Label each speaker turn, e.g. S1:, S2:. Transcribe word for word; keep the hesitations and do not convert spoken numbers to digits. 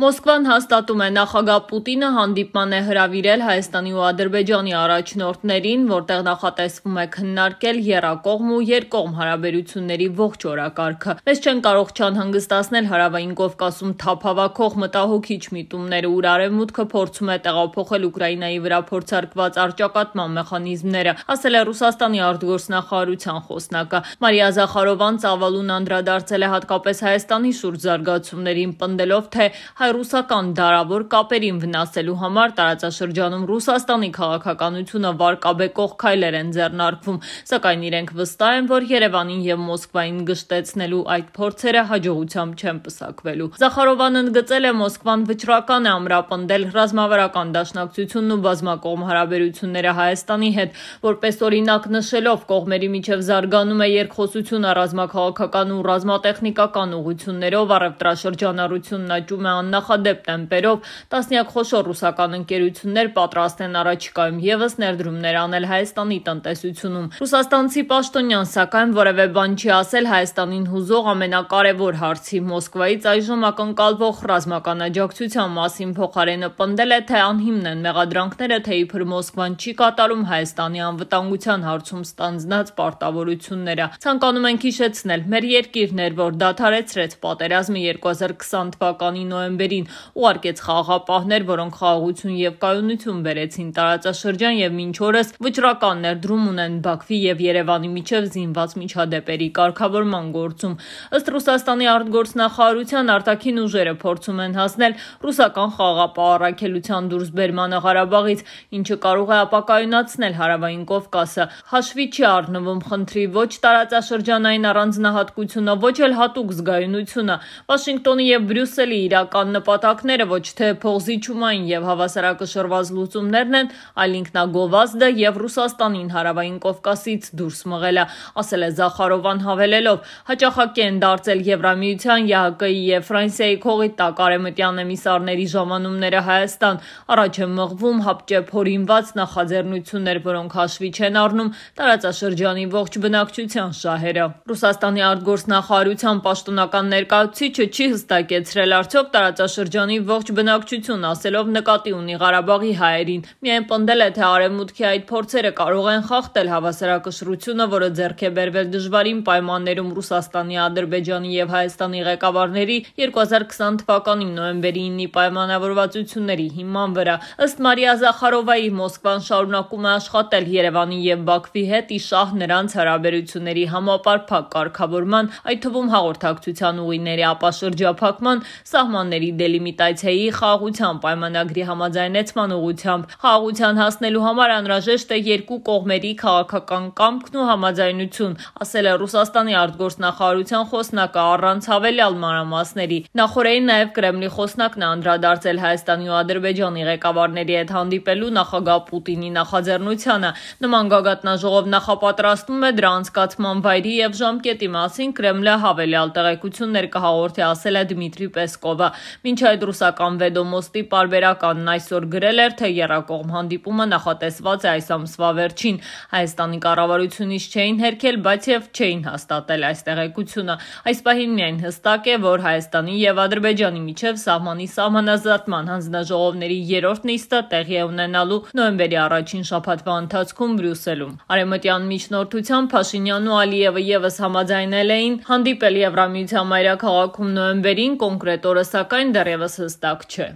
S1: Մոսկվան հաստատում է նախագահ Պուտինը հանդիպման է հրավիրել Հայաստանի ու Ադրբեջանի առաջնորդներին, որտեղ նախատեսվում է քննարկել եռակողմ ու երկկողմ հարաբերությունների ողջ օրակարգը։ Մեզ չեն կարող չանհանգստացնել Հարավային Կովկասում թափ հավաքող մտահոգիչ միտումները, ուր Արևմուտքը փորձում է տեղափոխել Ուկրաինայի վրա փորձարկված առճակատման մեխանիզմները, ասել է Ռուսաստանի արտգործնախարարության խոսնակը։ Մարիա Զախարովան ծավալուն անդրադարձել է հատկապես Հայաստանի շուրջ զարգացումներին, պնդելով, թե հայ-ռուսական դարավոր կապերին վնասելու համար տարածաշրջանում Ռուսաստանի քաղաքականությունը վարկաբեկող քայլեր են ձեռնարկվում, սակայն իրենք վստահ են, որ Երևանին եւ Մոսկվային գշտեցնելու այդ փորձերը հաջողությամբ չեն պսակվելու։ Զախարովան ընդգծել է, Մոսկվան վճռական է ամրապնդել ռազմավարական դաշնակցությունն ու բազմակողմ հարաբերությունները Հայաստանի հետ, որպես օրինակ նշելով, կողմերի միջև զարգանում է երկխոսությունը ռազմաքաղաքական ու ռազմատեխնիկական ուղղություններով, առևտրաշրջանառությունն աճում է աննախադեպ տեմպերով, տասնյակ խոշոր ռուսական ընկերություններ պատրաստ են առաջիկայում ևս ներդրումներ անել Հայաստանի տնտեսությունում։ Ռուսաստանցի պաշտոնյան, սակայն, որևէ բան չի ասել Հայաստանին հուզող ամենակարևոր հարցի՝ Մոսկվայից այժմ ակնկալվող ռազմական աջակցության մասին, փոխարենը պնդել է, թե անհիմն են մեղադրանքները, թե իբր Մոսկվան չի կատարում Հայաստանի անվտանգության հարցում ստանձնած պարտավորությունները։ Ցանկանում ենք հիշեցնել, մեր երկիրն էր, որ դադարեցրեց պատերազմը երկու հազար քսան թվականի նոյեմբերին, ուղարկեց խաղաղապահներ, որոնք խաղաղություն եւ կայունություն բերեցին տարածաշրջան եւ մինչ օրս վճռական ներդրում ունեն Բաքվի եւ Երևանի միջև զինված միջադեպերի կարգավորման գործում։ Ըստ Ռուսաստանի արտգործնախարարության, արտաքին ուժերը փորձում են հասնել ռուսական խաղաղապահ առաքելության դուրսբերմանը Ղարաբաղից, ինչը կարող է ապակայունացնել Հարավային Կովկասը։ Հաշվի չի առնվում խնդրի ոչ տարածաշրջանային առանձնահատկությունը, ոչ էլ հատուկ զգայունությունը։ Վաշինգտոնի եւ Բրյուսելի իրական նպատակները ոչ թե փողզիջումային եւ հավասարակշռված լուծումներն են, այլ ինքնագովազդը եւ Ռուսաստանին Հարավային Կովկասից դուրս մղելը, ասել է Զախարովան, հավելելով. հաճախակի են դարձել Եվրամիության, ԵԱՀԿ-ի եւ Ֆրանսիայի քողի տակ արևմտյան էմիսարների ժամանումները Հայաստան, առաջ է մղվում հապճեպ հորինված նախաձեռնություններ, որոնք հաշվի չեն առնում տարածաշրջանի ողջ բնակչության շահերը։ Ռուսաստանի արտգործնախարարության պաշտոնական ներկայացուցիչը չի հստակեցրել արդյոք տարածաշրջանի ողջ բնակչություն, ասելով նկատի ունի Ղարաբաղի հայերին։ Միայն պնդել է, թե արևմուտքի այդ փորձերը կարող են խախտել հավասարակշռությունը, որը ձեռք է բերվել դժվարին պայմաններում Ռուսաստանի, Ադրբեջանի եւ Հայաստանի ղեկավարների երկու հազար քսան թվականի նոյեմբերի ինի պայմանավորվածությունների հիման վրա։ Ըստ Մարիա Զախարովայի, Մոսկվան շարունակում է աշխատել Երևանի եւ Բաքվի հետ՝ ի շահ նրանց հարաբերությունների համապարփակ կարգավորման, այդ թվում հաղորդակցության ուղիների ապաշրջափակման, սահմանների դելիմիտացիայի, խաղաղության պայմանագրի համաձայնեցման ուղղությամբ։ Խաղաղության հասնելու համար անհրաժեշտ է երկու կողմերի քաղաքական կամքն ու համաձայնություն, ասել է Ռուսաստանի արտգործնախարարության խոսնակը առանց հավելյալ մանրամասների։ Նախորդին նաև Կրեմլի խոսնակն է անդրադարձել Հայաստանի ու Ադրբեջանի ղեկավարների հետ հանդիպելու նախագահ Պուտինի նախաձեռնությանը։ Նման գագաթնաժողով նախապատրաստվում է, դրա անցկացման վայրի եւ ժամկետի մասին Կրեմլը հավելյալ տեղեկություններ կհաղորդի, ասել է Դմիտրի Պեսկովը։ Մինչ այդ ռուսական Վեդոմոստի պարբերականն այսօր գրել էր, թե եռակողմ հանդիպումը նախատեսված է այս ամսվա վերջին։ Հայաստանի կառավարությունից չէին հերքել, բայց եւ չէին հաստատել այս տեղեկությունը։ Այս պահին միայն հստակ է, որ Հայաստանի եւ Ադրբեջանի միջև սահմանի սահմանազատման հանձնաժողովների երրորդ նիստը տեղի է ունենալու նոյեմբերի առաջին շաբաթվա ընթացքում Բրյուսելում։ Արևմտյան միջնորդությամբ Փաշինյանն ու Ալիևը ևս համաձայնել էին հանդիպել Եվրամիության մայրաքաղաքում նոյեմբերին, կոնկրետ օրը սակայն դեռևս հստակ չէ։